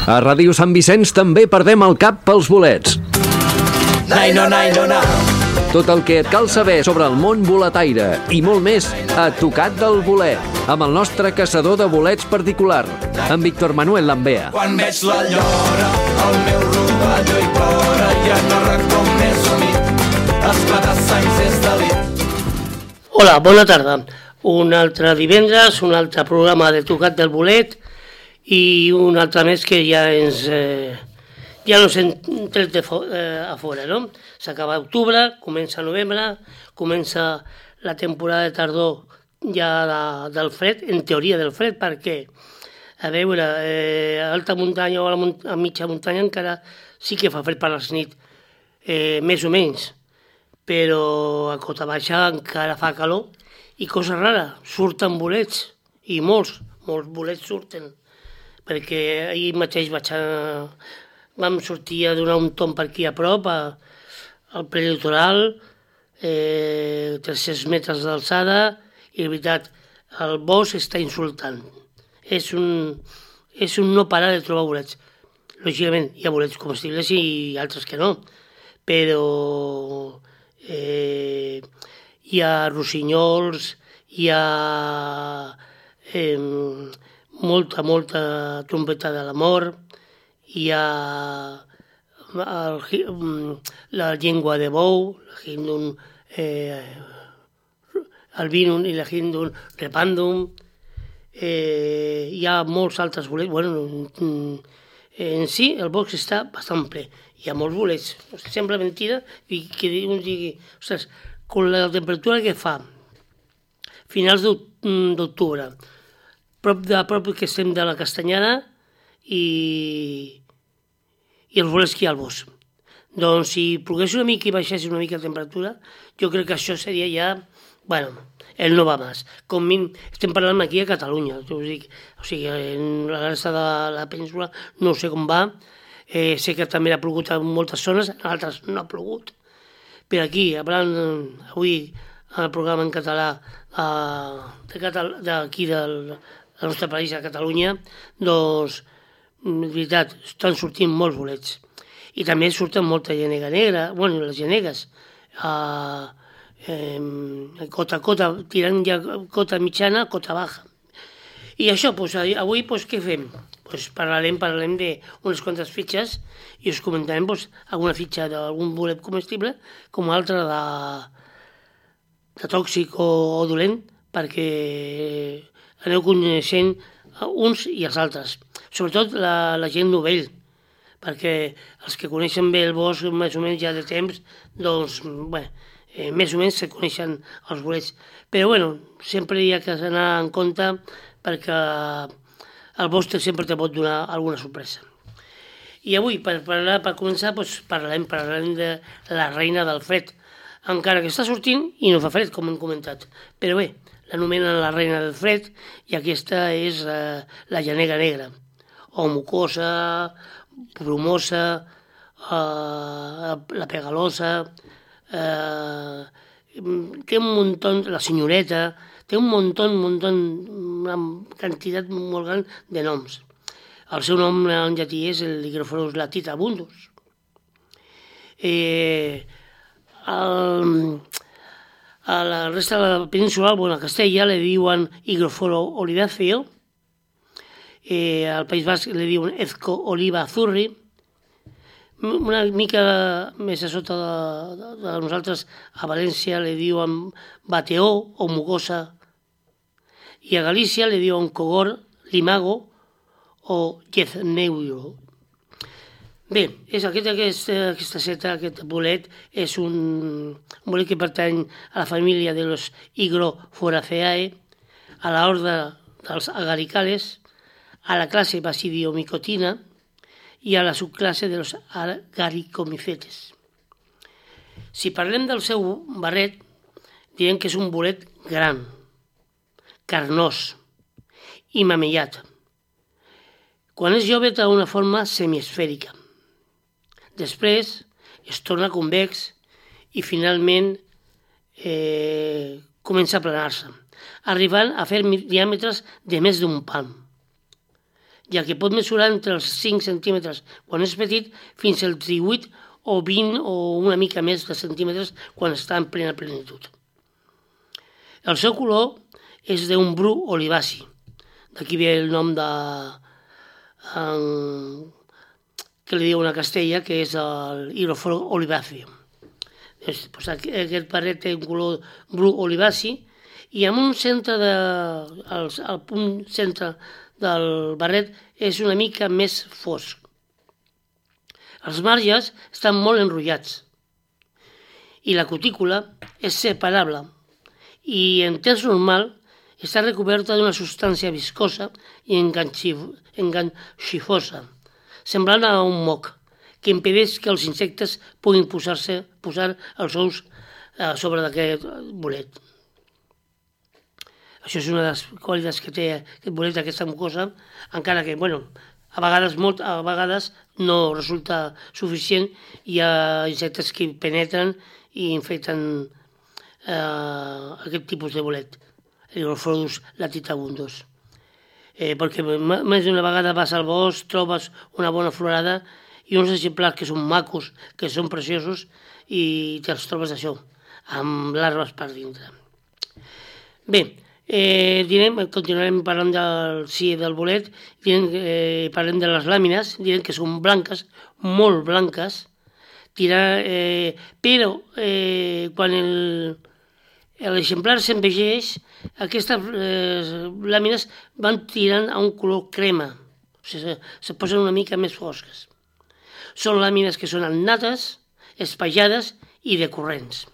A Ràdio Sant Vicenç també perdem el cap pels bolets. Naino, naino, na. Tot el que et cal saber sobre el món boletaire i molt més a Tocat del Bolet, amb el nostre caçador de bolets particular, en Víctor Manuel Lambea. Quan veig la llora, el meu rovelló hi plora, ja no recordo més humit, esclatar-sangs és delit. Hola, bona tarda. Un altre divendres, un altre programa de Tocat del Bolet i un altre més que ja nos hem tret a fora, no? S'acaba octubre, comença novembre, comença la temporada de tardor ja del fred, en teoria del fred, perquè, a veure, a alta muntanya o a mitja muntanya encara sí que fa fred per les nit, més o menys, però a cota baixa encara fa calor i cosa rara, surten bolets, i molts bolets surten, perquè ahir mateix vam sortir a donar un tomb per aquí a prop, al prelitoral, 300 metres d'alçada, i de veritat, el bosc està insultant. És un no parar de trobar bolets. Lògicament, hi ha bolets comestibles i altres que no, però hi ha rossinyols, hi ha molta trompeta de l'amor, hi ha la llengua de bou, la hindun albinum i la hindun repandum, hi ha molts altres bolets. Bueno, en si el bosc està bastant ple, hi ha molts bolets. Sembla mentida que un digui, ostres, amb la temperatura que fa, finals d'octubre, prop que estem de la Castanyada i els bolets que hi ha al bosc. Doncs si plogués una mica i baixés una mica la temperatura, jo crec que això seria ja, bueno, el no va més. Com estem parlant aquí a Catalunya, o sigui, en la resta de la península no sé com va, sé que també ha plogut en moltes zones, en altres no ha plogut, però aquí, avui, el programa en català d'aquí del nostre país, a Catalunya, doncs, de veritat, estan sortint molts bolets. I també surten molta llenega negra, bueno, les llenegues, cota, tirant ja cota mitjana, cota baja. I això, doncs, avui, doncs, què fem? Doncs parlarem d'unes quantes fitxes i us comentarem alguna fitxa d'algun bolet comestible com altra de tòxic o dolent, perquè aneu coneixent uns i els altres. Sobretot la gent novell, perquè els que coneixen bé el bosc més o menys ja de temps, doncs, bé, més o menys se coneixen els bolets. Però, bueno, sempre hi ha que anar en compte perquè el bosc sempre te pot donar alguna sorpresa. I avui, per començar, doncs, parlarem de la reina del fred, encara que està sortint i no fa fred, com hem comentat. Però bé, l'anomenen la reina del fred i aquesta és la llenega negra, o mucosa, brumosa, la pegalosa, té un muntó, la senyoreta, té un muntó, una quantitat molt gran de noms. El seu nom en llatí és el Hygrophorus latitabundus. A la resta de la península, a Castella, li diuen Hygrophorus oliváceo, al País Basc li diuen Ezco oliva azurri, una mica més a sota de nosaltres, a València li diuen bateó o mucosa, i a Galícia li diuen cogor, limago o gezneuro. Bé, aquesta seta, aquest bolet, és un bolet que pertany a la família de los Hygroforaceae, a l'ordre dels agaricales, a la classe Basidiomicotina i a la subclasse de los agaricomicetes. Si parlem del seu barret, direm que és un bolet gran, carnós i mamellat. Quan és jove té una forma semiesfèrica. Després es torna convex i finalment comença a planar-se, arribant a fer diàmetres de més d'un pam. ja que pot mesurar entre els 5 centímetres quan és petit fins als 18 o 20 o una mica més de centímetres quan està en plena plenitud. El seu color és d'un bru olivaci, d'aquí ve el nom que li diuen a Castella, que és el Higrophoros olivaceum. Pues aquest barret té un color bru olivaci i en un centre al punt centre del barret és una mica més fosc. Els marges estan molt enrotllats i la cutícula és separable i en temps normal està recoberta d'una substància viscosa i enganxifosa, semblant a un moc, que impedeix que els insectes puguin posar els ous sobre d'aquest bolet. Això és una de les qualitats que té aquest bolet, aquesta mucosa, encara que, a vegades no resulta suficient. Hi ha insectes que penetren i infecten aquest tipus de bolet, el Higrophoros latitavundus. Perquè més d'una vegada vas al bosc, trobes una bona florada i uns exemplars que són macos, que són preciosos, i te'ls trobes això, amb larves per dintre. Bé, continuarem parlant del bolet, parlem de les làmines, direm que són blanques, molt blanques, però quan l'exemplar s'envelleix, aquestes làmines van tirant a un color crema, o sigui, se posen una mica més fosques. Són làmines que són annates, espaiades i decurrents.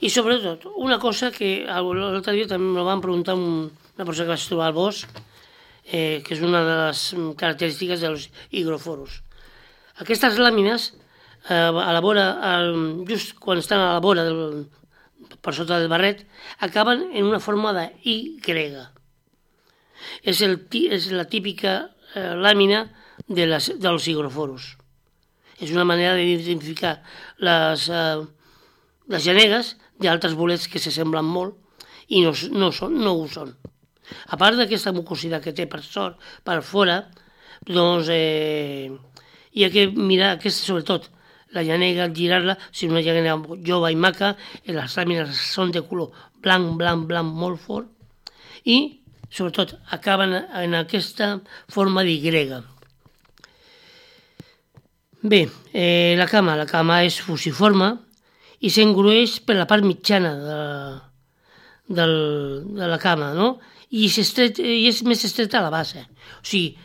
I sobretot, una cosa que l'altre dia també me van preguntar una persona que vaig trobar al bosc, que és una de les característiques dels higrophoros. Aquestes làmines, just quan estan a la vora per sota del barret, acaben en una forma de Y. És la típica làmina dels higrophoros. És una manera d'identificar les genegues d'altres bolets que s'assemblen molt i no ho són. A part d'aquesta mucositat que té per fora, doncs hi ha que mirar sobretot la llanega, girar-la, si una llanega jove i maca, les làmines són de color blanc molt fort i sobretot acaben en aquesta forma d'Y. Bé, la cama és fusiforme i s'engrueix per la part mitjana de la cama, no? I és més estreta a la base. O sigui,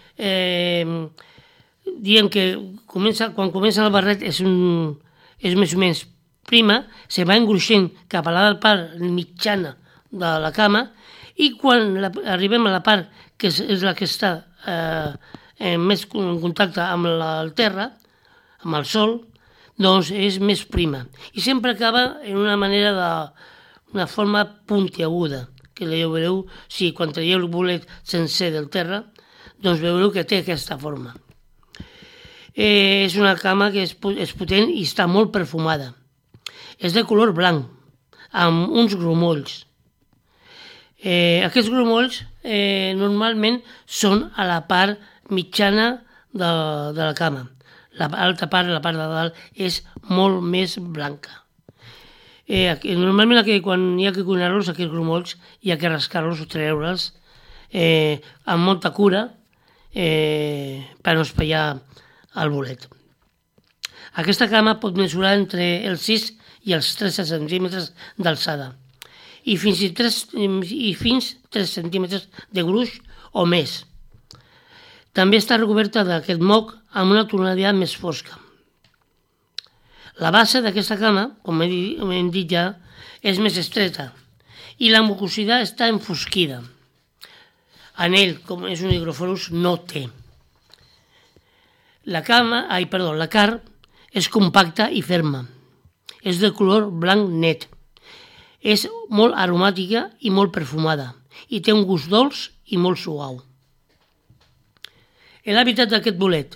diem que quan comença el barret és més o menys prima, se va engruixent cap a la part mitjana de la cama i quan arribem a la part que és la que està més en contacte amb el terra, amb el sol, doncs és més prima. I sempre acaba en una forma puntiaguda, que veureu, si quan traieu el bolet sencer del terra, doncs veureu que té aquesta forma. És una cama que és potent i està molt perfumada. És de color blanc, amb uns grumolls. Aquests grumolls normalment són a la part mitjana de la cama. L'altra part, la part de dalt, és molt més blanca. Normalment quan hi ha que cuinar-los, aquests grumolls, hi ha que rascar-los o treure'ls amb molta cura per no espaiar el bolet. Aquesta cama pot mesurar entre els 6 i els 13 centímetres d'alçada i fins 3 centímetres de gruix o més. També està recoberta d'aquest moc amb una tonalitat més fosca. La base d'aquesta cama, com hem dit ja, és més estreta i la mucositat està enfosquida. Anell, com és un Higrophoros, no té. La carn és compacta i ferma. És de color blanc net. És molt aromàtica i molt perfumada i té un gust dolç i molt suau. L'hàbitat d'aquest bolet,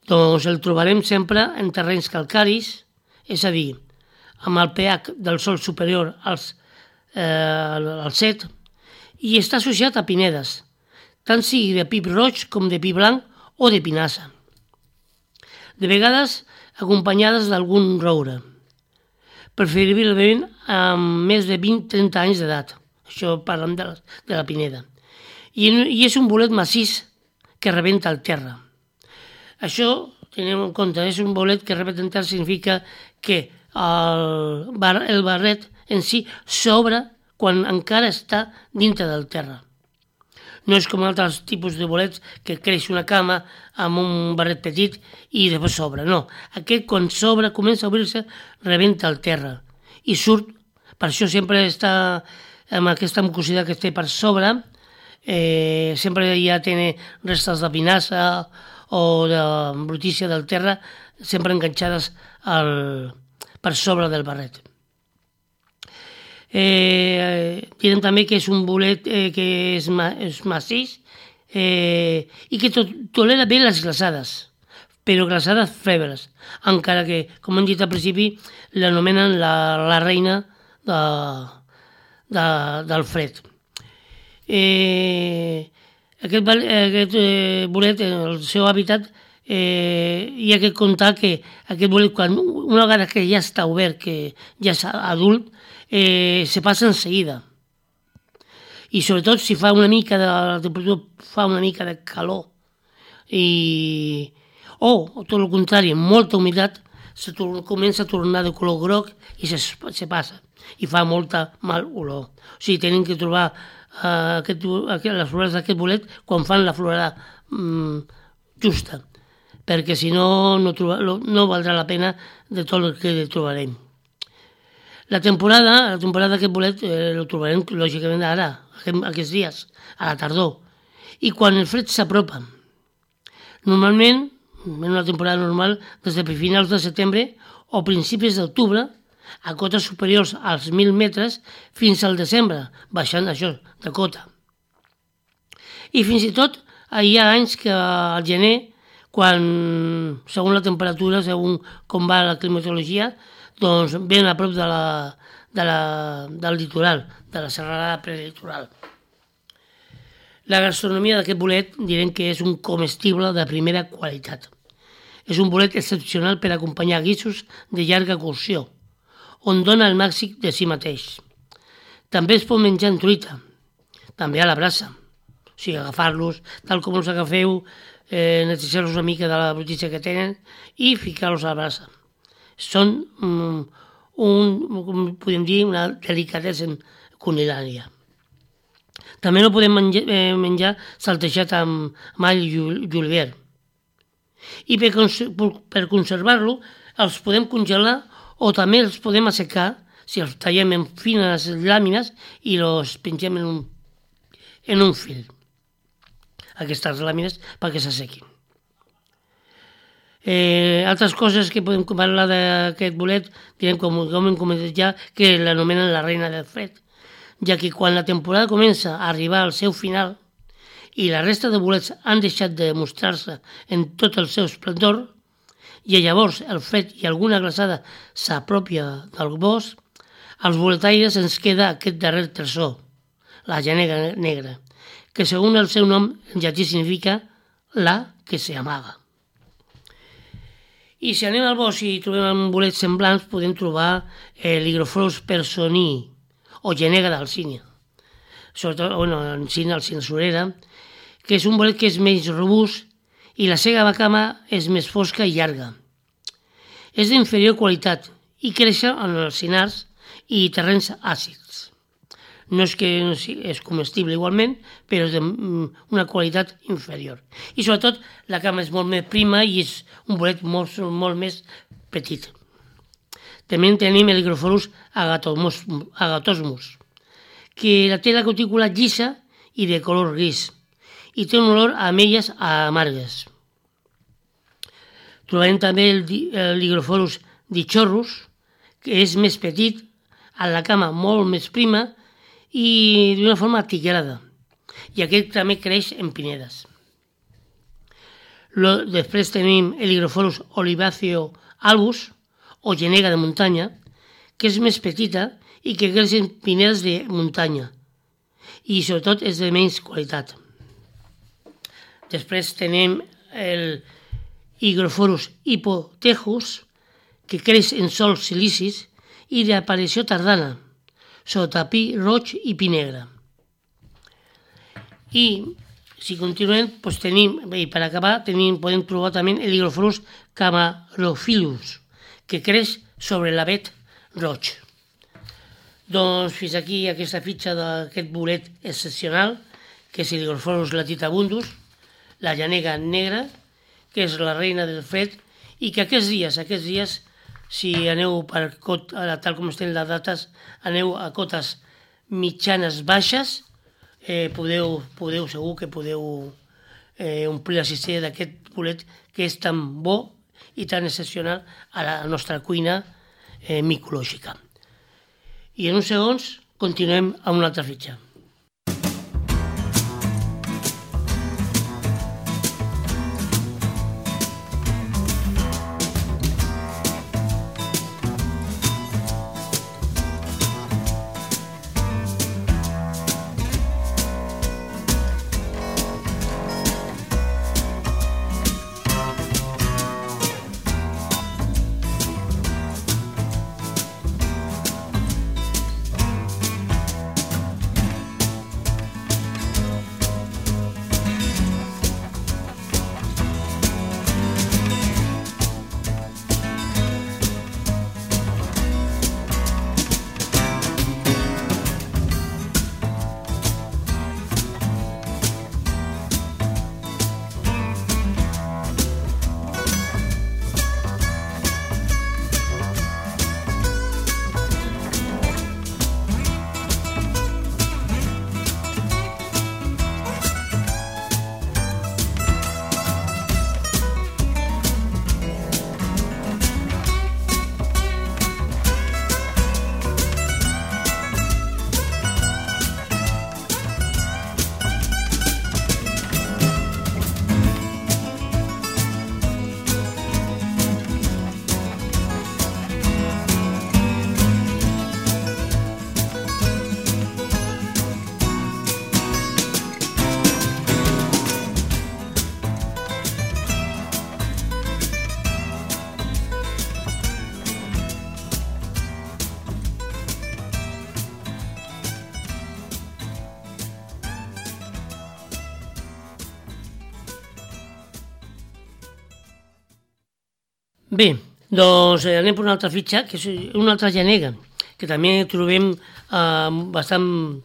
doncs el trobarem sempre en terrenys calcaris, és a dir, amb el pH del sòl superior al 7, i està associat a pinedes, tant sigui de pi roig com de pi blanc o de pinassa. De vegades acompanyades d'algun roure, preferiblement amb més de 20-30 anys d'edat. Això parlem de la pineda. I és un bolet massís que rebenta el terra. Això, tenim en compte, és un bolet que rebenta el terra significa que el barret en si s'obre quan encara està dintre del terra. No és com altres tipus de bolets que creix una cama amb un barret petit i després s'obre. No, aquest quan s'obre, comença a obrir-se, rebenta el terra i surt. Per això sempre està amb aquesta mucositat que té per sobre, sempre ja té restes de pinassa o de brutícia del terra sempre enganxades per sobre del barret. Direm també que és un bolet que és massís i que tolera bé les glaçades, però glaçades febles, encara que, com hem dit al principi, l'anomenen la reina del fred. Aquest bolet, el seu hàbitat, hi ha que comptar que aquest bolet, una vegada que ja està obert, que ja és adult, se passa en seguida. I sobretot si fa una mica de calor o tot el contrari, molta humitat, comença a tornar de color groc i se passa i fa molta mal olor. O sigui, tenen que trobar les flores d'aquest bolet quan fan la florada justa, perquè si no, no valdrà la pena de tot el que trobarem. La temporada d'aquest bolet el trobarem lògicament ara, aquests dies, a la tardor, i quan el fred s'apropa. Normalment, en una temporada normal, des de finals de setembre o principis d'octubre, a cotes superiors als 1.000 metres fins al desembre, baixant això de cota. I fins i tot hi ha anys que al gener, quan, segons la temperatura, segons com va la climatologia, doncs ben a prop del litoral, de la serralada prelitoral. La gastronomia d'aquest bolet direm que és un comestible de primera qualitat. És un bolet excepcional per acompanyar guisos de llarga cocció, on dona el màxim de si mateix. També es pot menjar en truita, també a la brasa. O sigui, agafar-los, tal com els agafeu, netejar-los una mica de la brutícia que tenen i ficar-los a la brasa. Són, podem dir, una delicadesa culinària. També no podem menjar saltejat amb all i julivert. I per conservar-lo els podem congelar o també els podem assecar si els tallem en fines làmines i els pengem en un fil. Aquestes làmines perquè s'assequin. Altres coses que podem parlar d'aquest bolet, direm, com hem comentat ja, que l'anomenen la reina del fred, ja que quan la temporada comença a arribar al seu final i la resta de bolets han deixat de mostrar-se en tot el seu esplendor, i llavors el fred i alguna glaçada s'apropia del bosc, als boletaires ens queda aquest darrer tresor, la llanega negra, que segons el seu nom en llatí significa la que s'amaga. I si anem al bosc i trobem bolets semblants, podem trobar l'Hygrophorus personii, o llanega d'Alcínia, sobretot Alcina surera, que és un bolet que és més robust i la seva cama és més fosca i llarga. És d'inferior qualitat i creix en alzinars i terrenys àcids. No és que és comestible igualment, però és d'una qualitat inferior. I sobretot la cama és molt més prima i és un bolet molt més petit. També tenim l'Hygrophorus agatosmus, que té la cutícula llisa i de color gris i té un olor a ametlles amargues. Trobarem també l'Hygrophorus dichorus, que és més petit, amb la cama molt més prima i d'una forma tigrada, i aquest també creix en pinedes. Després tenim l'Hygrophorus oliváceo albus, o llanega de muntanya, que és més petita i que creix en pinedes de muntanya i sobretot és de menys qualitat. Després tenim el Hygrophorus hypothecus, que creix en sòls silicis i d'aparició tardana, sota pi roig i pi negre. I si continuem, doncs tenim, i per acabar, podem trobar també el Hygrophorus camarophyllus, que creix sobre l'avet roig. Doncs fins aquí aquesta fitxa d'aquest bolet excepcional, que és el Hygrophorus latitabundus, la llanega negra, que és la reina del fred, i que aquests dies, si aneu tal com estan les dates, aneu a cotes mitjanes baixes, segur que podeu omplir la cistella d'aquest bolet que és tan bo i tan excepcional a la nostra cuina micològica. I en uns segons continuem amb una altra fitxa. Bé, doncs anem per una altra fitxa, que és una altra llanega, que també trobem bastant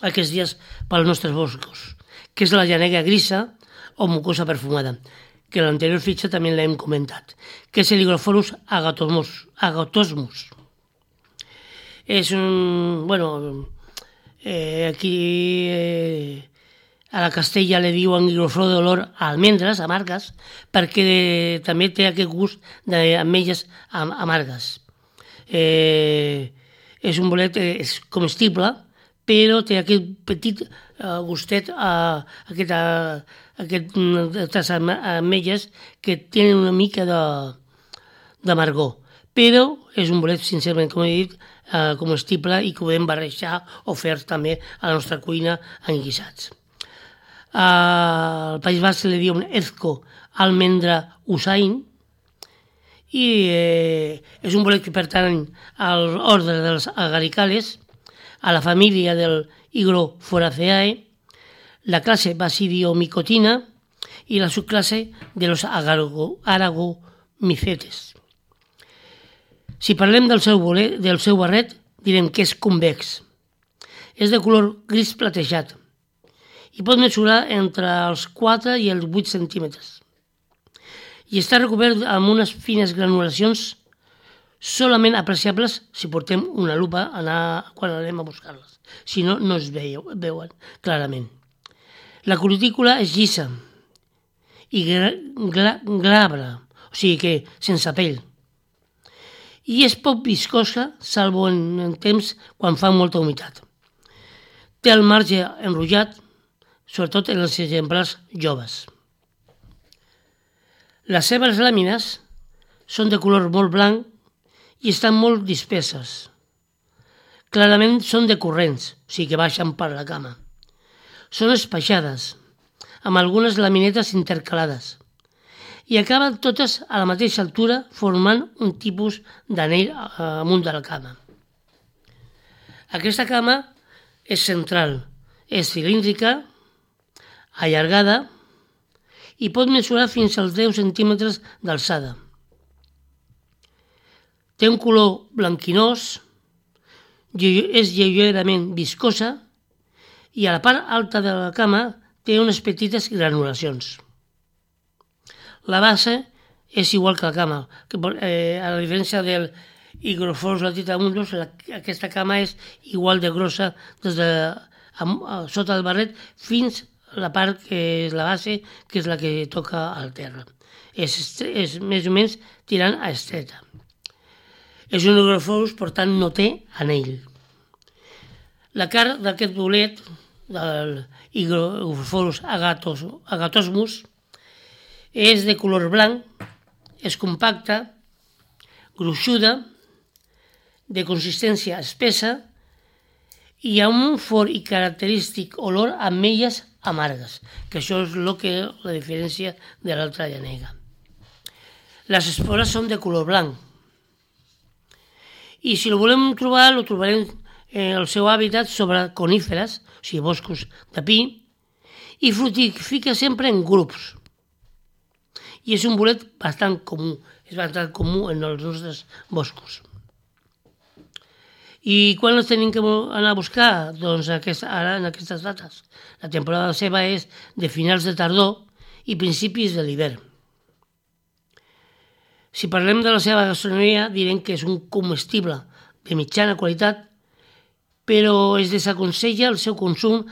aquests dies pels nostres boscos, que és la llanega grisa o mucosa perfumada, que l'anterior fitxa també l'hem comentat, que és el Hygrophorus agatosmus. És un... aquí a la Castella li diuen Hygrophorus d'olor a almendres amargues, perquè també té aquest gust d'ametlles amargues. És un bolet comestible, però té aquest petit gustet, aquestes ametlles que tenen una mica d'amargor. Però és un bolet, sincerament, com he dit, comestible i que podem barrejar o fer també a la nostra cuina en guisats. Al País Basc li diuen Ezco almendra usain i és un bolet que pertany a l'ordre dels agaricales, a la família del Hygroforaceae, la classe Basidiomicotina i la subclasse de los Aragomicetes. Si parlem del seu barret, direm que és convex. És de color gris platejat i pot mesurar entre els 4 i els 8 centímetres. I està recobert amb unes fines granulacions solament apreciables si portem una lupa quan anem a buscar-les. Si no, no es veuen clarament. La cutícula és llisa i glabra, o sigui que sense pell. I és poc viscosa, salvo en temps quan fa molta humitat. Té el marge enrotllat, sobretot en els exemplars joves. Les seves làmines són de color molt blanc i estan molt disperses. Clarament són decurrents, o sigui que baixen per la cama. Són espaixades, amb algunes laminetes intercalades, i acaben totes a la mateixa altura formant un tipus d'anell amunt de la cama. Aquesta cama és central, és cilíndrica, allargada i pot mesurar fins als 10 centímetres d'alçada. Té un color blanquinós, és lleugerament viscosa i a la part alta de la cama té unes petites granulacions. La base és igual que la cama, que a la diferència del Hygrophorus latifundus, aquesta cama és igual de grossa des de sota del barret fins a la part que és la base, que és la que toca al terra. És més o menys tirant a estreta. És un Hygrophorus, per tant no té anell. La cara d'aquest bolet, del Hygrophorus agatosmus, és de color blanc, és compacta, gruixuda, de consistència espessa i amb un fort i característic olor a ametlles amargues, que això és el que la diferència de l'altra llanega. Les espores són de color blanc i si el volem trobar, el trobarem en el seu hàbitat sobre coníferes, o sigui, boscos de pi, i fructifica sempre en grups. I és un bolet bastant comú, en els nostres boscos. I quan els tenim que anar a buscar? Doncs ara en aquestes dates. La temporada seva és de finals de tardor i principis de l'hivern. Si parlem de la seva gastronomia, direm que és un comestible de mitjana qualitat, però es desaconsella el seu consum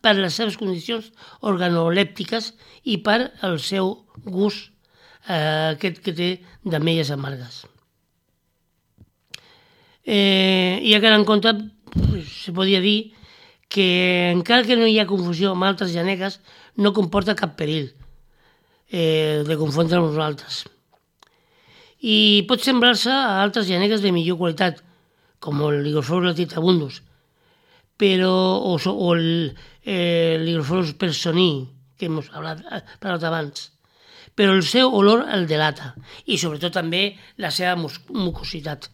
per les seves condicions organolèptiques i per el seu gust aquest que té d'ametlles amargues. I a quedar en compte, se podria dir que encara que no hi ha confusió amb altres llanegues, no comporta cap perill de confondre amb nosaltres. I pot semblar-se a altres llanegues de millor qualitat, com el Hygrophorus latifundus, o el Hygrophorus personii, que hem parlat abans, però el seu olor el delata i sobretot també la seva mucositat.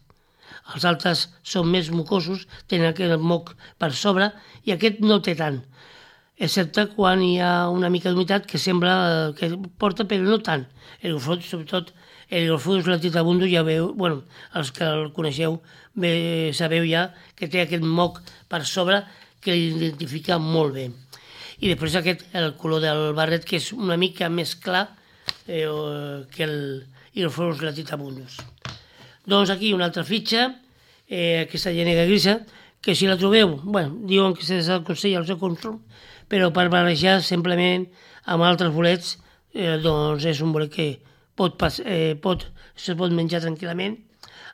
Els altres són més mucosos, tenen aquest moc per sobre i aquest no té tant, excepte quan hi ha una mica d'humitat que sembla que porta, però no tant. Sobretot el Hygrophorus latifundus, ja veu, els que el coneixeu sabeu ja que té aquest moc per sobre que l'identifica molt bé. I després el color del barret, que és una mica més clar que el Hygrophorus latifundus. Doncs aquí una altra fitxa, aquesta llanega grisa, que si la trobeu, diuen que se desaconsella el seu consum, però per barrejar simplement amb altres bolets, doncs és un bolet que se pot menjar tranquil·lament,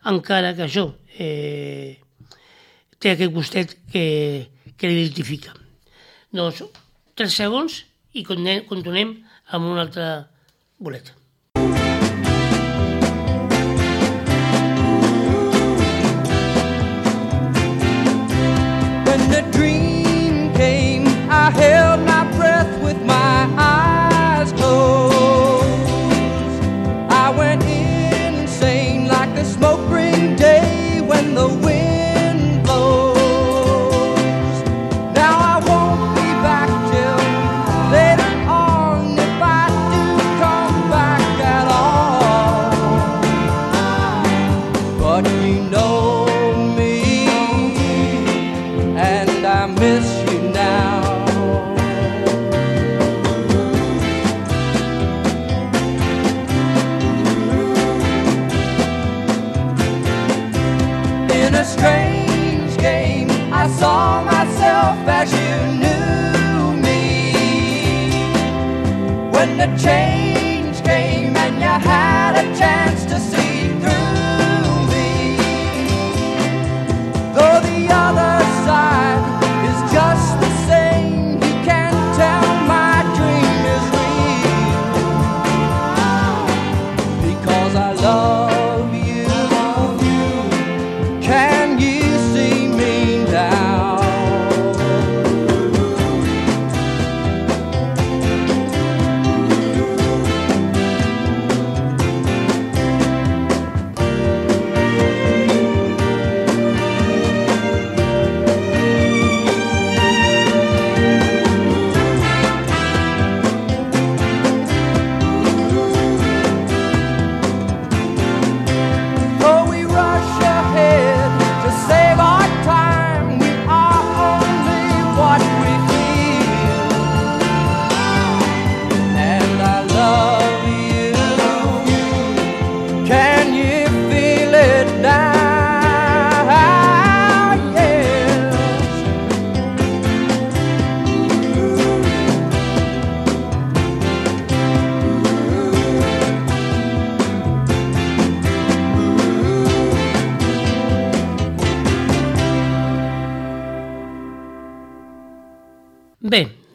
encara que això té aquest gustet que l'identifica. Doncs 3 segons i continuem amb un altre bolet. When the dream came, I held my breath with my eyes closed. I went insane like a smoke ring day when the wind blows. Now I won't be back till later on, if I do come back at all. But you know me, and I miss you now. In a strange game, I saw myself as you knew me. When the change came and you had a chance to see through me, though the other side is just the same, you can't tell my dream is real, because I love you. Can you see me now?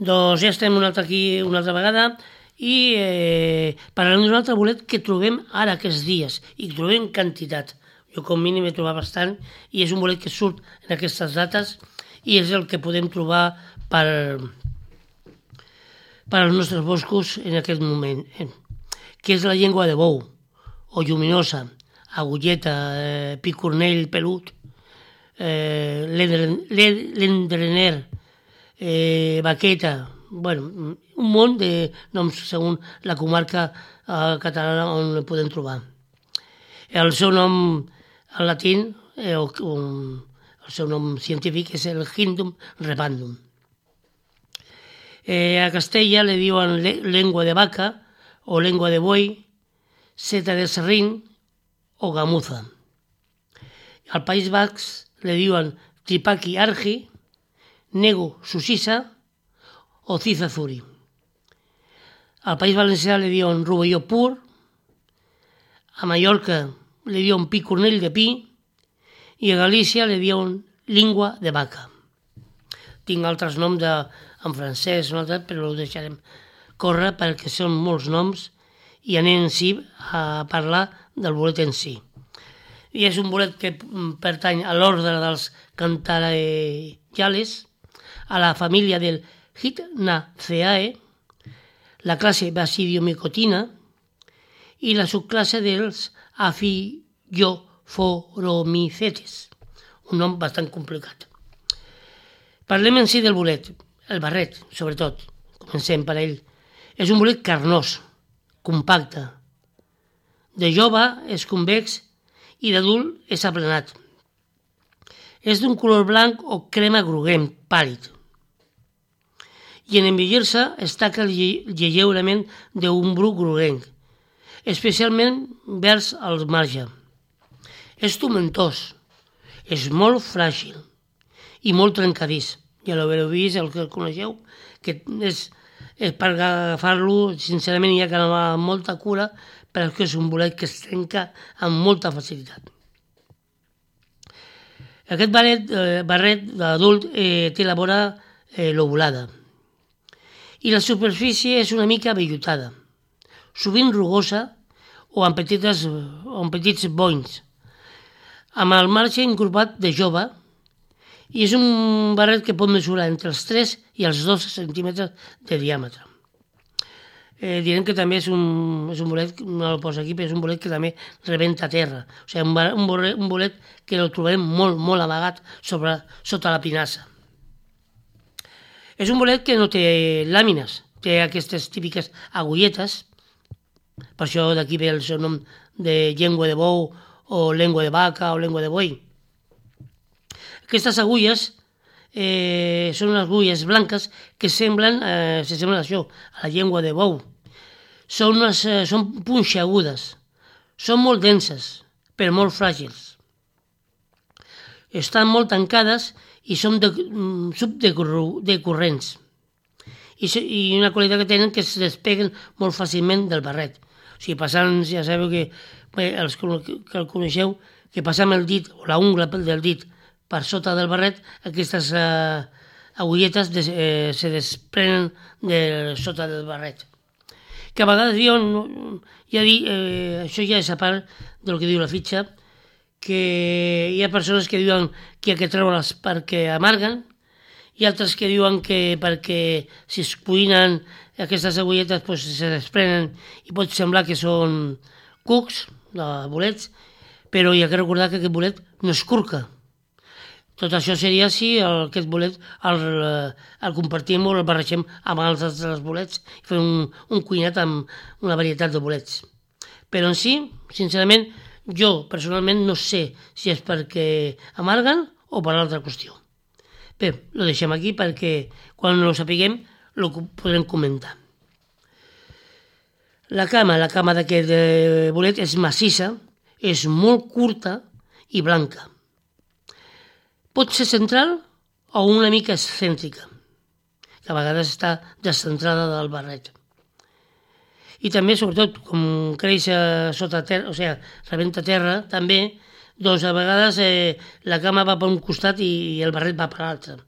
Doncs ja estem una altra vegada i parlarem d'un altre bolet que trobem ara aquests dies i que trobem quantitat. Jo com mínim he trobat bastant i és un bolet que surt en aquestes dates i és el que podem trobar per als nostres boscos en aquest moment, que és la llengua de bou, o lluminosa, agulleta, picornell pelut, l'endrener, baqueta, bueno, un munt de noms segons la comarca catalana on el podem trobar. El seu nom en latí, el seu nom científic és el Hindum repandum. A Castella le diuen lengua de vaca o lengua de buey, seta de serrín o gamuza. Al País Basc le diuen tripaki argi, nego susisa o cizazuri. Al País Valencià le diuen rovelló pur, a Mallorca le diuen picornell de pi i a Galícia le diuen língua de vaca. Tinc altres noms en francès, però ho deixarem córrer perquè són molts noms i anem en si a parlar del bolet en si. I és un bolet que pertany a l'ordre dels cantarellales, a la família del Hypnaceae, la classe Basidiomycotina i la subclasse dels Aphyllophoramycetes, un nom bastant complicat. Parlem en si del bolet, el barret, sobretot. Comencem per ell. És un bolet carnós, compacte. De jove és convex i d'adult és aplanat. És d'un color blanc o crema groguenc, pàl·lid. I en envellir-se es taca lleugerament d'un bru groguenc, especialment vers el marge. És tomentós, és molt fràgil i molt trencadís. Ja l'haureu vist, el que el coneixeu, que és per agafar-lo, sincerament, hi ha que anar amb molta cura, perquè és un bolet que es trenca amb molta facilitat. Aquest barret d'adult té la vora lobulada i la superfície és una mica vellutada, sovint rugosa o amb petits bonys, amb el marge encorbat de jove, i és un barret que pot mesurar entre els 3 i els 2 centímetres de diàmetre. Direm que també és un bolet, no el poso aquí, però és un bolet que també rebenta a terra. O sigui, un bolet que el trobem molt, molt amagat sota la pinassa. És un bolet que no té làmines, té aquestes típiques agulletes, per això d'aquí ve el seu nom de llengua de bou o llengua de vaca o llengua de boi. Aquestes agulles són unes agulles blanques que s'assemblen a això, a la llengua de bou. Són punxegudes, són molt denses, però molt fràgils. Estan molt tancades i són subdecurrents. I una qualitat que tenen que es despeguen molt fàcilment del barret. O sigui, passant, ja sabeu que els que el coneixeu, que passant el dit o la ungla del dit per sota del barret, aquestes agulletes se desprenen de sota del barret. Que a vegades diuen, això ja és a part del que diu la fitxa, que hi ha persones que diuen que hi ha que treure'ls perquè amarguen, i altres que diuen que perquè si es cuinen aquestes agulletes pues, se desprenen i pot semblar que són cucs, bolets, però hi ha que recordar que aquest bolet no es curca. Tot això seria si aquest bolet el compartim o el barregem amb els altres bolets i fem un cuinat amb una varietat de bolets. Però en si, sincerament, jo personalment no sé si és perquè amarguen o per l'altra qüestió. Bé, ho deixem aquí perquè quan ho sapiguem ho podrem comentar. La cama d'aquest bolet és massissa, és molt curta i blanca. Pot ser central o una mica excèntrica, que a vegades està descentrada del barret. I també, sobretot, com creix sota terra, o sigui, rebenta terra, també, doncs a vegades la cama va per un costat i el barret va per l'altre.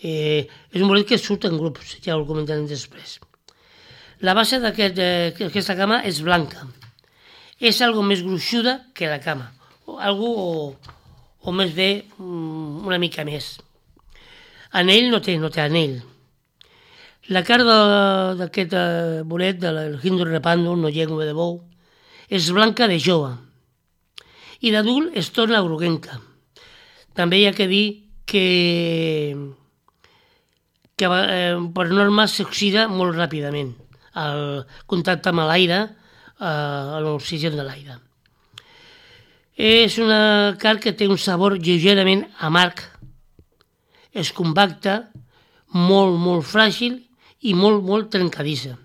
És un bolet que surt en grups, ja ho comentarem després. La base d'aquesta cama és blanca. És algo més gruixuda que la cama, o més bé una mica més. Anell no té anell. La cara d'aquest bolet, del Hindun repandum, no llengua de bou, és blanca de jove i d'adult es torna groguenca. També hi ha que dir que per norma s'oxida molt ràpidament al contacte amb l'aire, a l'oxigen de l'aire. És una carn que té un sabor lleugerament amarg, és compacta, molt, molt fràgil i molt, molt trencadissa.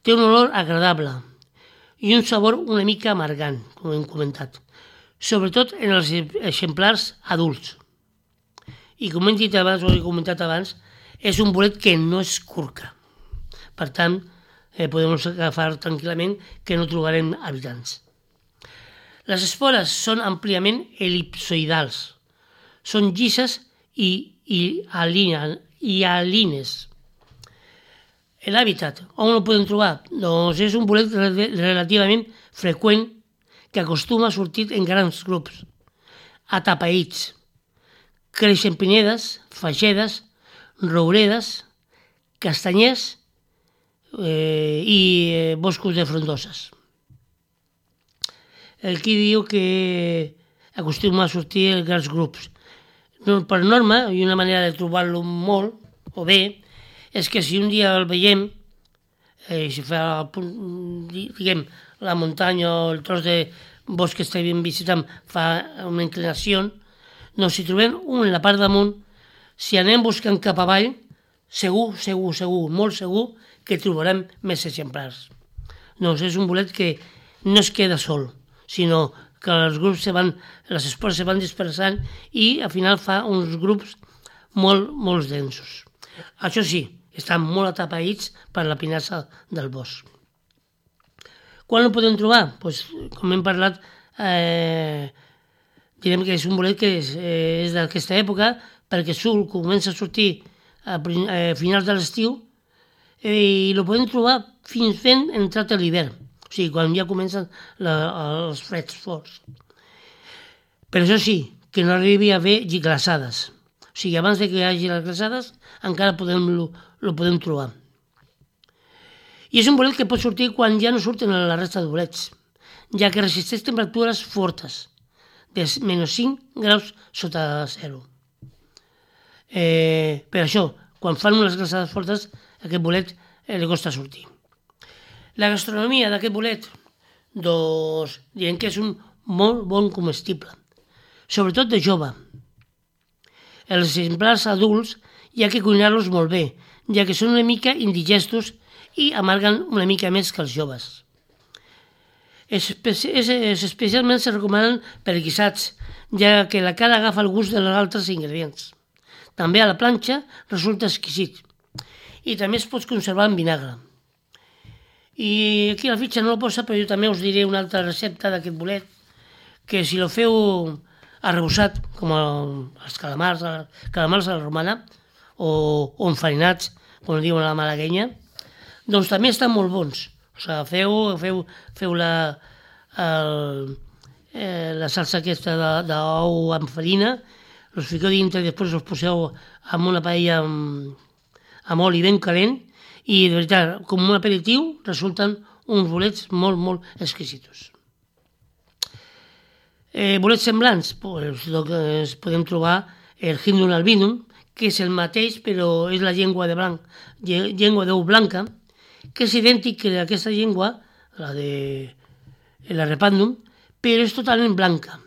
Té un olor agradable i un sabor una mica amargant, com hem comentat, sobretot en els exemplars adults. I com hem dit abans, o he comentat abans, és un bolet que no es curca. Per tant, podem agafar tranquil·lament que no trobarem habitants. Les espores són àmpliament elipsoidals. Són llises i alines. L'hàbitat, on ho podem trobar? Doncs és un bolet relativament freqüent que acostuma a sortir en grans grups, atapeïts. Creix en pinedes, faixedes, rouredes, castanyers i boscos de frondoses. Aquí diu que acostuma a sortir en grans grups. Per norma, i una manera de trobar-lo molt, o bé, és que si un dia el veiem, si fa, diguem, la muntanya o el tros de bosc que estem visitant fa una inclinació, doncs si trobem un en la part damunt, si anem buscant cap avall, segur, molt segur, que trobarem més exemplars. Doncs és un bolet que no es queda sol, sinó que les espores se van dispersant i al final fa uns grups molt densos. Això sí, estan molt atapeïts per la pinassa del bosc. Quan ho podem trobar? Pues, com hem parlat, direm que és un bolet que és d'aquesta època, perquè comença a sortir a finals de l'estiu i el podem trobar fins fent entrat a l'hivern, o sigui, quan ja comencen els freds forts. Però això sí, que no arribi a haver glaçades. O sigui, abans que hi hagi les glaçades encara lo podem trobar. I és un bolet que pot sortir quan ja no surten la resta de bolets, ja que resisteix temperatures fortes, de -5 graus sota zero. Per això, quan fan unes glaçades fortes, aquest bolet li costa sortir. La gastronomia d'aquest bolet, doncs, diem que és un molt bon comestible, sobretot de jove. Els exemplars adults hi ha que cuinar-los molt bé, ja que són una mica indigestos i amarguen una mica més que els joves. Especialment se recomanen per guisats, ja que la cara agafa el gust dels altres ingredients. També a la planxa resulta exquisit i també es pot conservar en vinagre. I aquí la fitxa no la posa, però jo també us diré una altra recepta d'aquest bolet, que si lo feu arrebossat, com els calamars a la romana, o enfarinats, com diuen a la malaguenya, doncs també estan molt bons. O sigui, feu la salsa aquesta d'ou amb farina, els fiqueu dintre i després els poseu en una paella amb oli ben calent i, de veritat, com un aperitiu, resulten uns bolets molt, molt exquisitos. Bolets semblants, doncs podem trobar el Hindun albinum, que és el mateix, però és la llengua d'ou blanca, que és idèntic que aquesta llengua, la de la repandum, però és totalment blanca.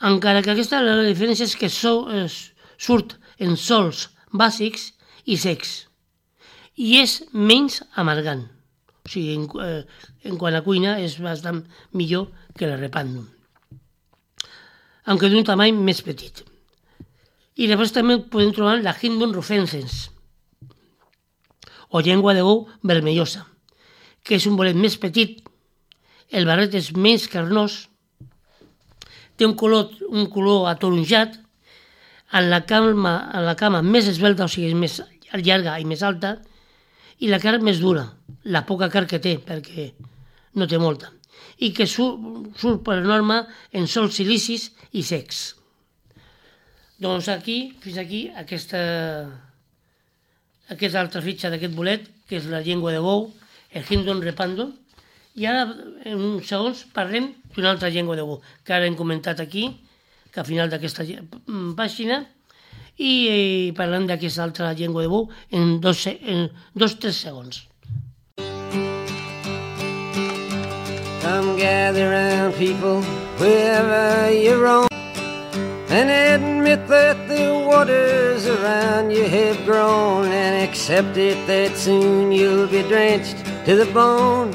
Encara que la diferència és que surt en sols bàsics i secs i és menys amargant. O sigui, en quant a cuina és bastant millor que la repandum, aunque d'un tamany més petit. I després també podem trobar la Hindun rufescens, o llengua de bou vermellosa, que és un bolet més petit, el barret és més carnós, té un color ataronjat, en la cama més esbelta, o sigui, és més llarga i més alta, i la carn més dura, la poca carn que té, perquè no té molta, i que surt per norma en sols silicis i secs. Doncs fins aquí aquesta altra fitxa d'aquest bolet, que és la llengua de bou, el Hindon repando, i ara en uns segons parlem d'una altra llengua de bou, que ara hem comentat aquí, que al final d'aquesta pàgina, i parlem d'aquesta altra llengua de bou en 2-3 segons. Come gather round, people, wherever you roam, and admit that the waters around you have grown, and accept it that soon you'll be drenched to the bone.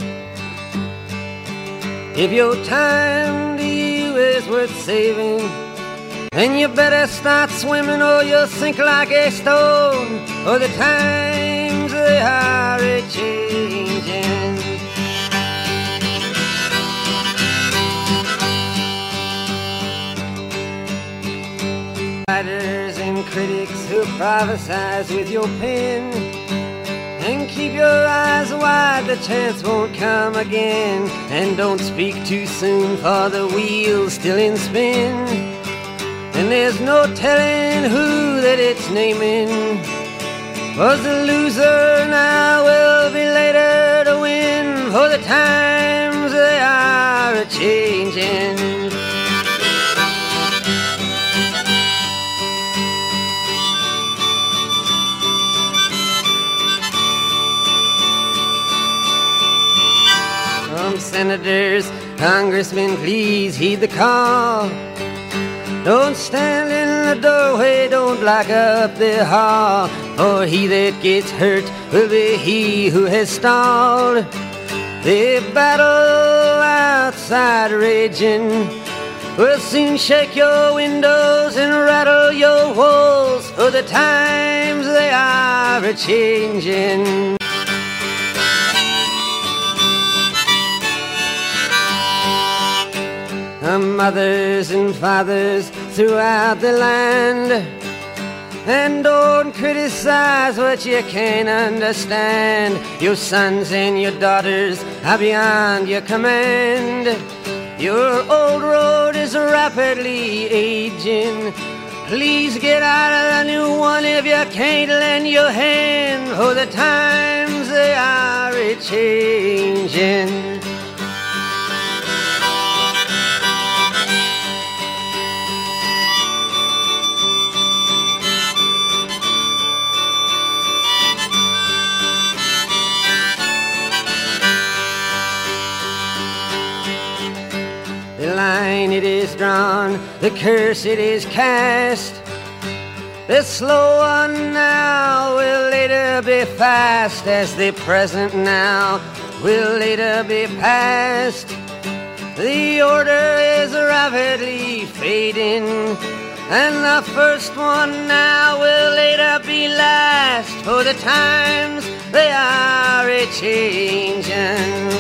If your time to you is worth saving, then you better start swimming or you'll sink like a stone, for the times they are a-changing. Writers and critics who prophesize with your pen, and keep your eyes wide, the chance won't come again. And don't speak too soon, for the wheel's still in spin, and there's no telling who that it's naming. Was the loser now will be later to win, for the times they are a-changing. Senators, congressmen, please heed the call. Don't stand in the doorway, don't block up the hall, for he that gets hurt will be he who has stalled. The battle outside raging will soon shake your windows and rattle your walls, for the times they are a-changing. Mothers and fathers throughout the land, and don't criticize what you can't understand. Your sons and your daughters are beyond your command. Your old road is rapidly aging. Please get out of the new one if you can't lend your hand, for the times they are a-changing. The line it is drawn, the curse it is cast. The slow one now will later be fast, as the present now will later be past. The order is rapidly fading, and the first one now will later be last, for the times they are a-changing.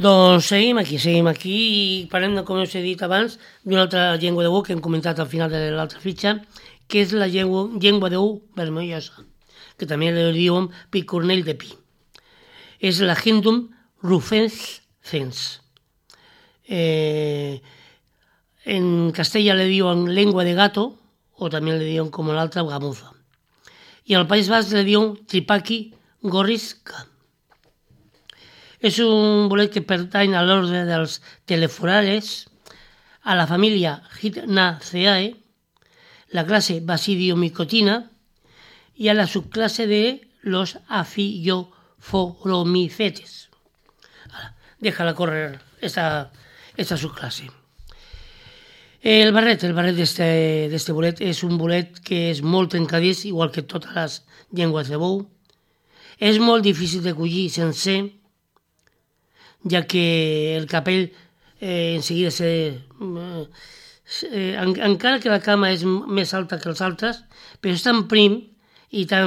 Doncs seguim aquí i parlem, com us he dit abans, d'una altra llengua de bou que hem comentat al final de l'altra fitxa, que és la llengua de bou vermellosa, que també li diuen picornell de pi. És la Hindum rufescens. En castellà le diuen lengua de gato, o també le diuen com l'altra gamuza. I al País Basc le diuen tripaki gorrisca. És un bolet que pertany a l'ordre dels teleforales, a la família Hypnaceae, la classe Basidiomicotina i a la subclasse de los Aphyllophoronophytes. Déjala correr esta subclasse. El barret d'este bolet és un bolet que és molt trencadís, igual que totes les llengües de bou. És molt difícil de collir sencer, ja que el capell enseguida encara que la cama és més alta que els altres, però és tan prim i té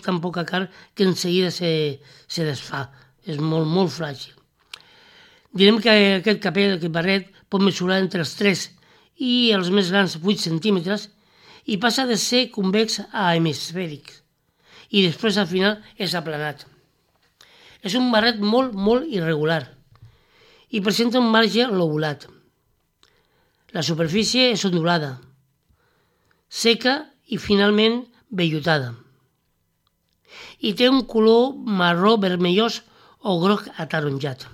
tan poca carn que enseguida se desfà és molt, molt fràgil. Direm que aquest capell, aquest barret, pot mesurar entre els 3 i els més grans 8 centímetres i passa de ser convex a hemisfèric i després al final és aplanat. És un barret molt, molt irregular i presenta un marge lobulat. La superfície és ondulada, seca i finalment vellutada. I té un color marró vermellós o groc ataronjat.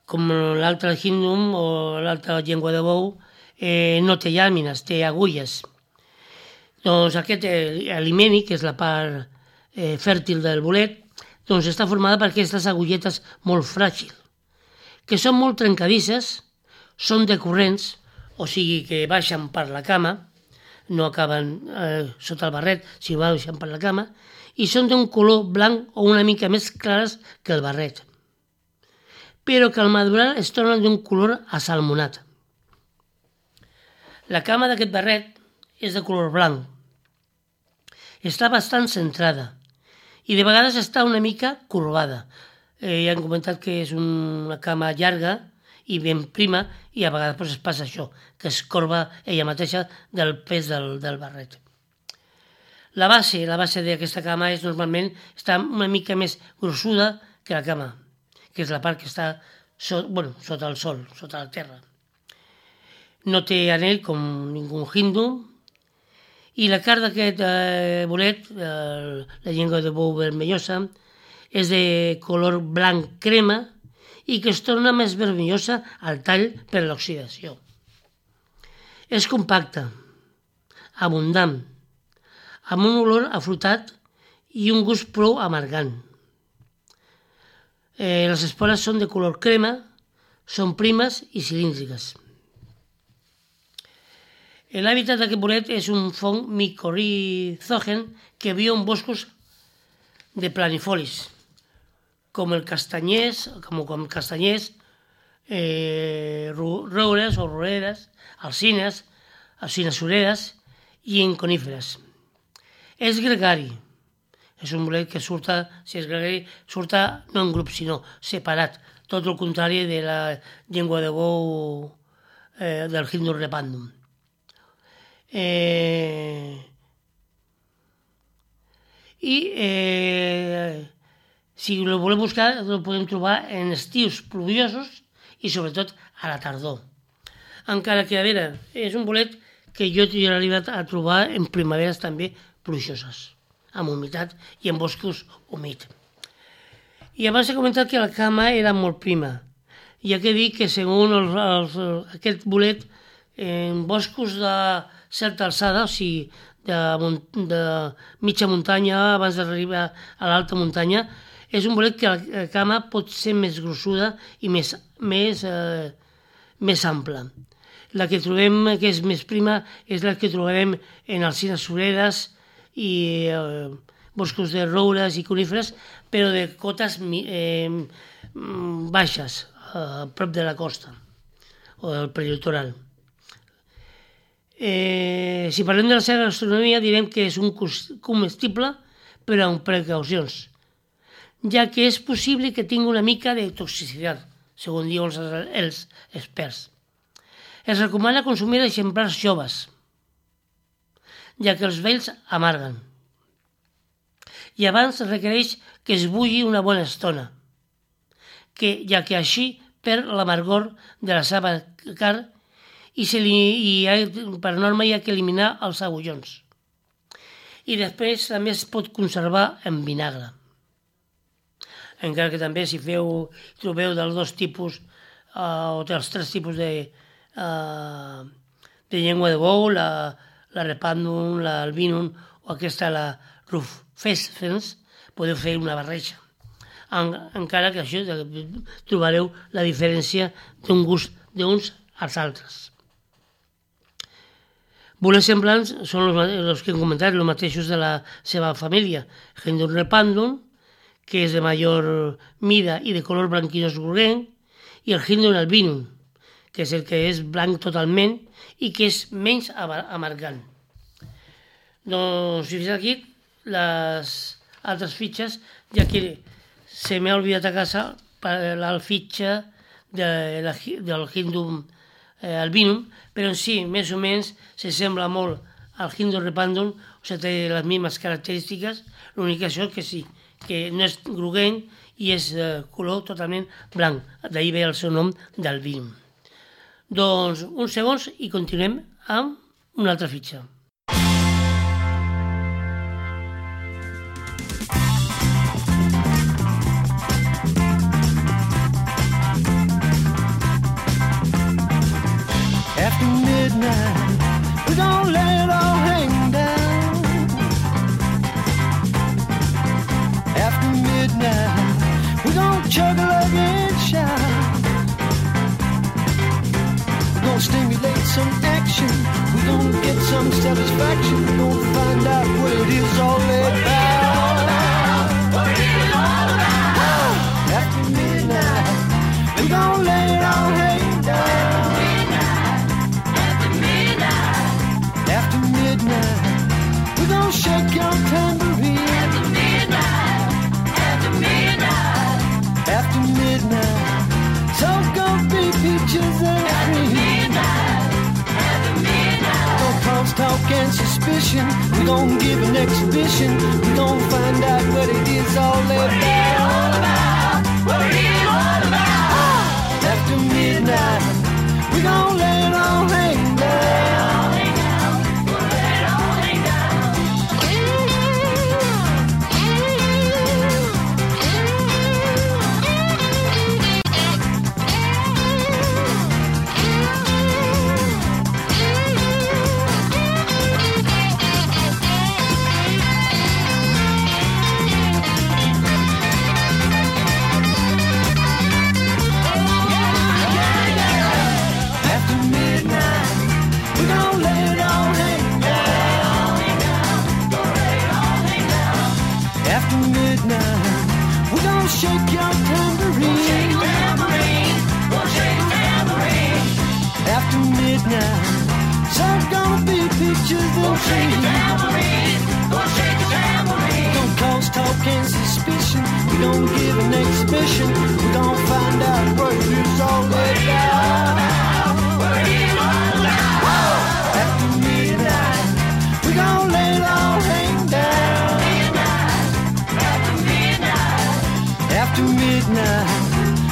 Com l'altre hindum o l'altra llengua de bou, no té llàmines, té agulles. Doncs aquest alimeni, que és la part fèrtil del bolet, doncs està formada per aquestes agulletes molt fràgils, que són molt trencadisses, són decurrents, o sigui que baixen per la cama, no acaben sota el barret, sinó baixen per la cama, i són d'un color blanc o una mica més clares que el barret, però que al madurar es tornen d'un color asalmonat. La cama d'aquest barret és de color blanc. Està bastant centrada i de vegades està una mica corbada. Ja hem comentat que és una cama llarga i ben prima i a vegades es passa això, que es corba ella mateixa del pes del barret. La base d'aquesta cama normalment està una mica més grossuda que la cama, que és la part que està sota el sol, sota la terra. No té anell com ningú hindu i la carn d'aquest bolet, la llengua de bou vermellosa, és de color blanc crema i que es torna més vermellosa al tall per l'oxidació. És compacta, abundant, amb un olor afrutat i un gust prou amargant. Les espores són de color crema, són primes i cilíndriques. L'hàbitat d'aquest bolet és un fong micorrizogen que viu en boscos de planifolis, com castanyers, roures o roeres, alzines sureres i en coníferes. És gregari. És un bolet que surta no en grup, sinó separat, tot el contrari de la llengua de bou del hindu repandum. Si el volem buscar, el podem trobar en estius pluviosos i sobretot a la tardor. Encara que, a veure, és un bolet que jo he arribat a trobar en primaveres també plujoses, amb humitat i en boscos humits. I abans he comentat que la cama era molt prima. Hi ha que dir que segons aquest bolet, en boscos de certa alçada, o sigui, de mitja muntanya abans d'arribar a l'alta muntanya, és un bolet que la cama pot ser més grossuda i més ampla. La que trobem que és més prima és la que trobarem en alzines sureres i boscos de roures i coníferes, però de cotes baixes, a prop de la costa o del prelitoral. Si parlem de la seva gastronomia, direm que és un comestible, però amb precaucions, ja que és possible que tingui una mica de toxicitat, segons diuen els experts. Es recomana consumir exemplars joves, ja que els vells amarguen. I abans requereix que es bulli una bona estona, ja que així perd l'amargor de la seva carn i per norma hi ha que eliminar els agullons. I després també es pot conservar en vinagre. Encara que també si trobeu dels 2 tipus o dels 3 tipus de llengua de bou, la repandum, l'albinum o aquesta, la rufescens, podeu fer una barreja. Encara que això trobareu la diferència d'un gust d'uns als altres. Bolets semblants són els que hem comentat, els mateixos de la seva família. Hindum repandum, que és de major mida i de color blanquinós groguenc, i el Hindum albinum, que és el que és blanc totalment i que és menys amargant. Doncs fins aquí les altres fitxes, ja que se m'ha oblidat a casa la fitxa del Hindum albinum, però en si, més o menys, se sembla molt al Hindum repandum, o sigui, té les mismes característiques, l'únic això que sí, que no és groguenc i és color totalment blanc, d'ahir ve el seu nom d'albinum. Doncs uns segons i continuem amb una altra fitxa. After midnight, we don't let it all hang down. After midnight, we don't chug like and shout. We're gonna stimulate some action. We're gonna get some satisfaction. We're gonna find out what it is all about. What it is all about. After midnight, we gonna let it all hang down. After midnight, we're gonna shake your tambourine. After midnight, after midnight, after midnight, so gonna be peaches and cream. After midnight, no crosstalk and suspicion. We're gonna give an exhibition. We're gonna find out what it is all about. What it is all about. After midnight, we're gonna let it all hang down. Shake your tambourine. Shake your tambourine. Shake your tambourine. After midnight, so's gonna be peaches and cream. Shake your tambourine. Shake your tambourine. Don't cause talk and suspicion. We gonna give an exhibition. We gonna find out what it is all about. What it is all about. After midnight, we gonna let it all hang down. After midnight,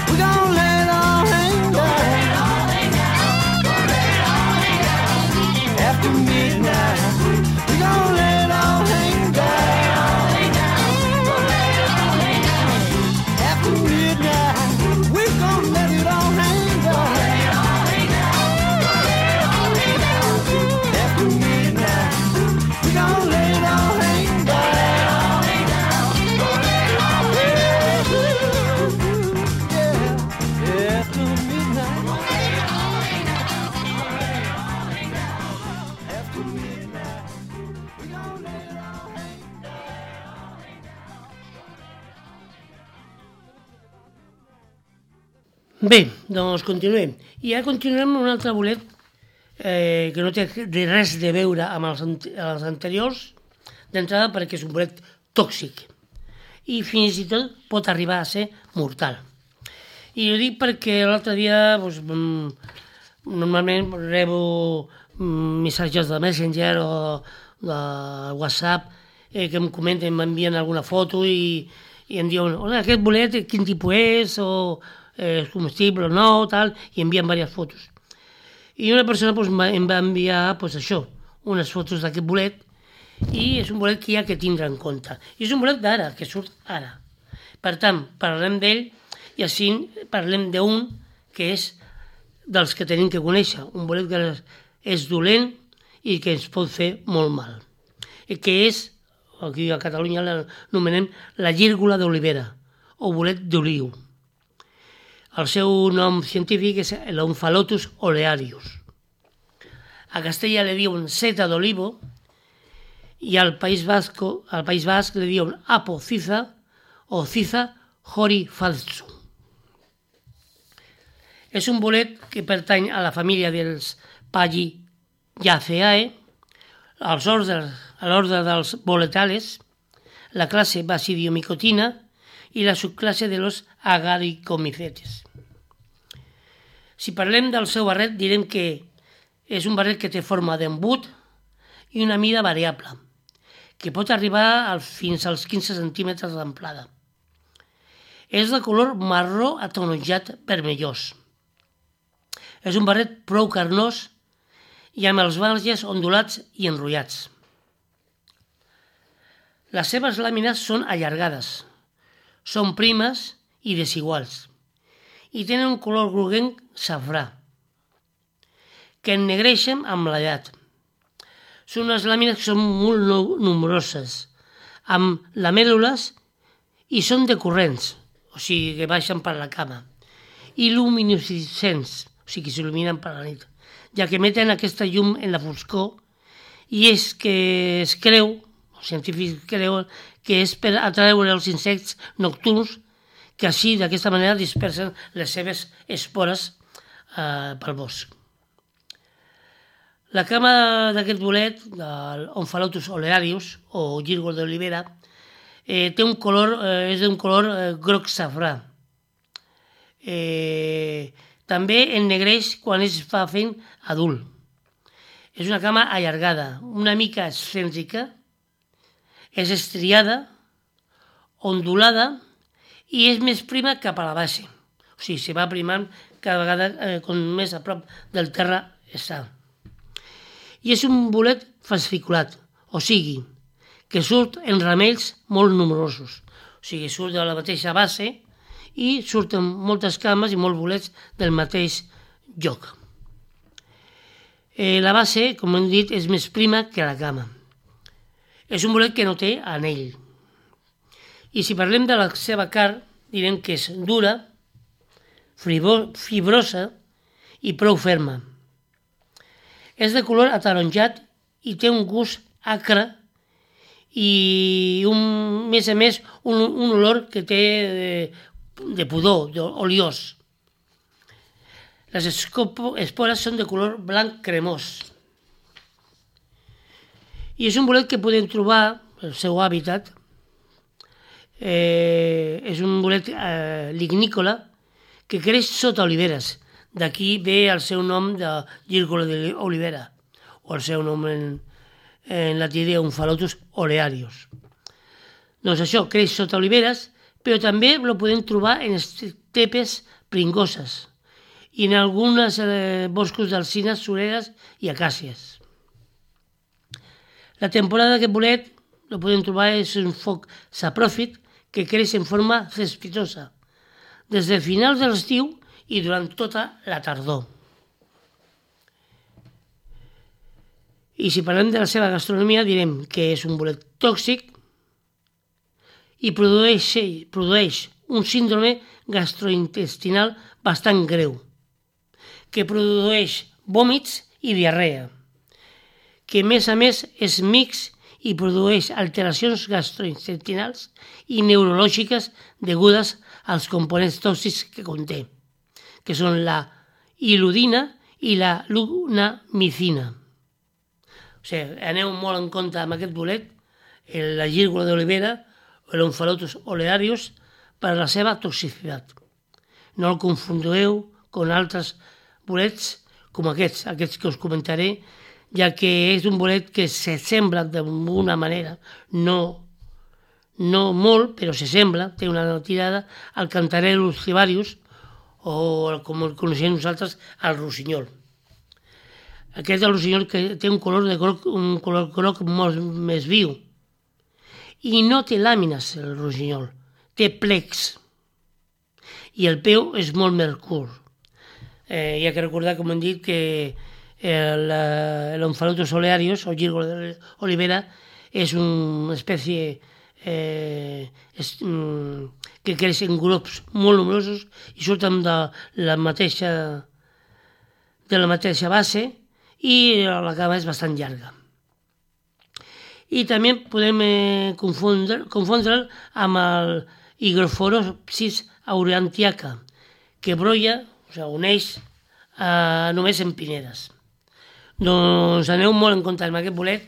we're gonna let it all hang down. After midnight, we're gonna let it all hang down. After midnight, we're gonna let it all hang down. After midnight, we're gonna let it all hang down. Bé, doncs continuem. I ara continuem amb un altre bolet que no té res de veure amb els anteriors, d'entrada perquè és un bolet tòxic i fins i tot pot arribar a ser mortal. I ho dic perquè l'altre dia doncs, normalment rebo missatges de Messenger o de WhatsApp que em comenten, m'envien alguna foto i em diuen, hola, aquest bolet quin tipus és o és comestible o no, tal, i envien diverses fotos. I una persona pues, em va enviar pues, això, unes fotos d'aquest bolet, i és un bolet que hi ha que tindre en compte. I és un bolet d'ara, que surt ara. Per tant, parlem d'ell i així parlem d'un que és dels que tenim que conèixer, un bolet que és dolent i que ens pot fer molt mal. Que és, aquí a Catalunya l'anomenem la gírgola d'olivera, o bolet d'oliu. El seu nom científic és l'Omphalotus olearius. A Castella li diuen seta d'olivo i al País Basc li diuen apo ciza o ciza horifalzu. És un bolet que pertany a la família dels Palliaceae, a l'ordre dels boletales. la clase Basidiomicotina i la subclasse de los Agaricomycetes. Si parlem del seu barret, direm que és un barret que té forma d'embut i una mida variable, que pot arribar fins als 15 centímetres d'amplada. És de color marró ataronjat vermellós. És un barret prou carnós i amb els marges ondulats i enrotllats. Les seves làmines són allargades, són primes i desiguals i tenen un color groguenc safrà, que ennegreixen amb l'edat. Són unes làmines que són molt nombroses, amb lamèl·lules i són decurrents, o sigui que baixen per la cama, i luminescents, o sigui que s'il·luminen per la nit, ja que emeten aquesta llum en la foscor i és que es creu, els científics creuen, que és per atreure els insectes nocturns que així d'aquesta manera dispersen les seves espores pel bosc. La cama d'aquest bolet, l'Omphalotus olearius o gírgol d'olivera, és d'un color groc safrà. També ennegreix quan es fa fent adult. És una cama allargada, una mica excèntrica, és estriada, ondulada i és més prima cap a la base. O sigui, se va primant cada vegada com més a prop del terra està. I és un bolet fasciculat, o sigui, que surt en ramells molt numerosos. O sigui, surt de la mateixa base i surten moltes cames i molts bolets del mateix lloc. La base, com hem dit, és més prima que la cama. És un bolet que no té anell. I si parlem de la seva carn, direm que és dura, fibrosa i prou ferma. És de color ataronjat i té un gust acre i, més a més, un olor que té de pudor, oliós. Les espores són de color blanc cremós. I és un bolet que podem trobar, el seu hàbitat, és un bolet lignícola que creix sota oliveres. D'aquí ve el seu nom de gírgol d'olivera, o el seu nom en latí d'Omphalotus olearius. Doncs això, creix sota oliveres, però també el podem trobar en estepes pringoses i en alguns boscos d'alzines, sureres i acàcies. La temporada d'aquest bolet el podem trobar és un foc sapròfit que creix en forma cespitosa des de finals de l'estiu i durant tota la tardor. I si parlem de la seva gastronomia direm que és un bolet tòxic i produeix un síndrome gastrointestinal bastant greu, que produeix vòmits i diarrea, que a més és mix i produeix alteracions gastrointestinals i neurològiques degudes als components tòxics que conté, que són la iludina i la lunamicina. O sigui, aneu molt en compte amb aquest bolet, la gírgola d'olivera o l'Omphalotus olearius, per la seva toxicitat. No el confondeu amb altres bolets com aquests que us comentaré, ja que és un bolet que s'assembla d'una manera, no molt, però s'assembla, té una tirada al Cantarellus cibarius, o com el coneixem nosaltres, al rossinyol. Aquest és el rossinyol que té un color groc molt més viu. I no té làmines, el rossinyol, té plecs. I el peu és molt més curt. Hi ha que recordar, com hem dit, que l'Omphalotus olearius, o gírgol d'olivera, és una espècie que creix en grups molt nombrosos i surten de la mateixa base i la cama és bastant llarga. I també podem confondre'l amb el Hygrophoropsis aurantiaca, que brolla, o sigui, uneix només en pinedes. Doncs aneu molt en compte amb aquest bolet.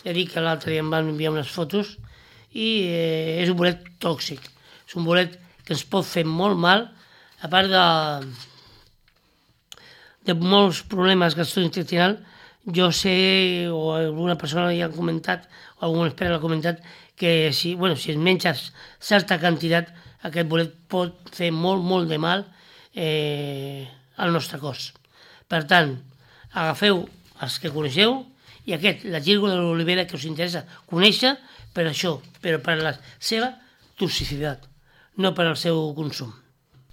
Ja dic que l'altre dia em van enviar unes fotos i és un bolet tòxic. És un bolet que ens pot fer molt mal, a part de molts problemes gastrointestinals. Jo sé, o alguna persona ja ha comentat, o algun expert ha comentat, que si es menges certa quantitat, aquest bolet pot fer molt de mal al nostre cos. Per tant, agafeu els que coneixeu i la gírgola de l'olivera que us interessa conèixer per això, però per la seva toxicitat, no per al seu consum.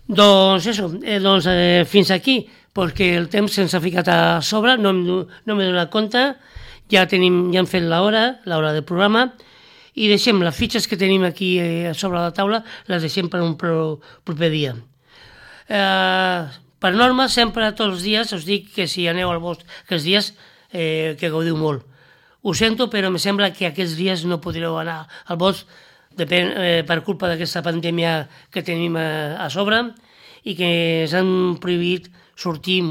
Doncs fins aquí, perquè el temps se'ns ha ficat a sobre, no m'he donat compte, ja hem fet l'hora del programa, i deixem les fitxes que tenim aquí sobre la taula, les deixem per un proper dia. Per norma, sempre tots els dies us dic que si aneu al bosc aquests dies, que gaudiu molt. Ho sento, però em sembla que aquests dies no podreu anar al bosc per culpa d'aquesta pandèmia que tenim a sobre i que ens han prohibit sortir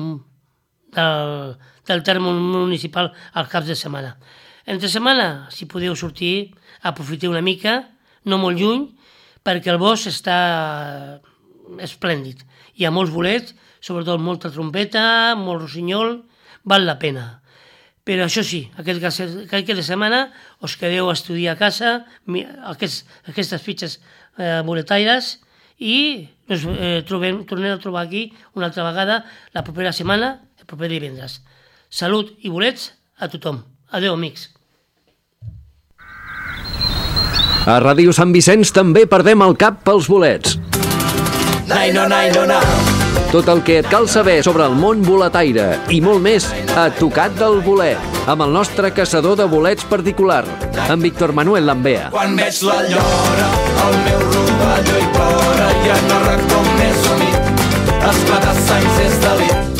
del terme municipal als caps de setmana. Entre setmana, si podeu sortir, aprofiteu una mica, no molt lluny, perquè el bosc està esplèndid. Hi ha molts bolets, sobretot molta trompeta, molt rossinyol, val la pena. Però això sí, aquest cap de setmana us quedeu a estudiar a casa aquestes fitxes boletaires i ens tornem a trobar aquí una altra vegada la propera setmana, el proper divendres. Salut i bolets a tothom. Adéu, amics. A Ràdio Sant Vicenç també perdem el cap pels bolets. Tot el que et cal saber sobre el món boletaire i molt més a Tocat del Bolet, amb el nostre caçador de bolets particular, en Víctor Manuel Lambea. Quan veig la llora, el meu rovelló hi plora, ja no recordo més humit, esclatar sangs és delit.